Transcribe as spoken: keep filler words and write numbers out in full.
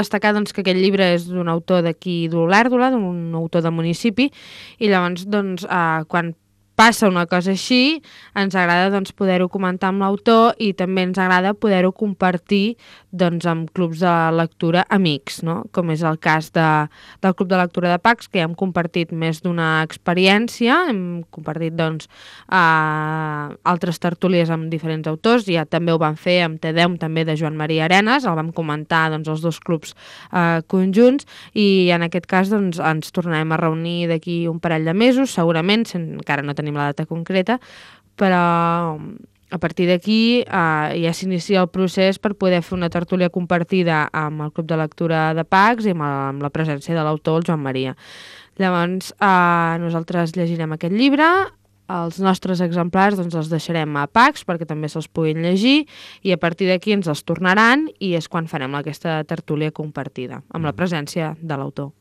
destacar doncs, que aquest llibre és d'un autor d'aquí d'Olèrdola, d'un autor de municipi, i llavors doncs, eh, quan passa una cosa així, ens agrada doncs, poder-ho comentar amb l'autor i també ens agrada poder-ho compartir doncs, amb clubs de lectura amics, no? Com és el cas de, del Club de Lectura de Pacs, que ja hem compartit més d'una experiència, hem compartit doncs, eh, altres tertúlies amb diferents autors, ja també ho vam fer amb Tedeum, també de Joan Maria Arenas, el vam comentar doncs, els dos clubs eh, conjunts, i en aquest cas doncs, ens tornarem a reunir d'aquí un parell de mesos, segurament, encara no tenim la data concreta, però a partir d'aquí eh, ja s'inicia el procés per poder fer una tertúlia compartida amb el Club de Lectura de Pacs i amb, el, amb la presència de l'autor, el Joan Maria. Llavors, eh, nosaltres llegirem aquest llibre, els nostres exemplars doncs, els deixarem a Pacs perquè també se'ls puguin llegir i a partir d'aquí ens els tornaran i és quan farem aquesta tertúlia compartida, amb la presència de l'autor.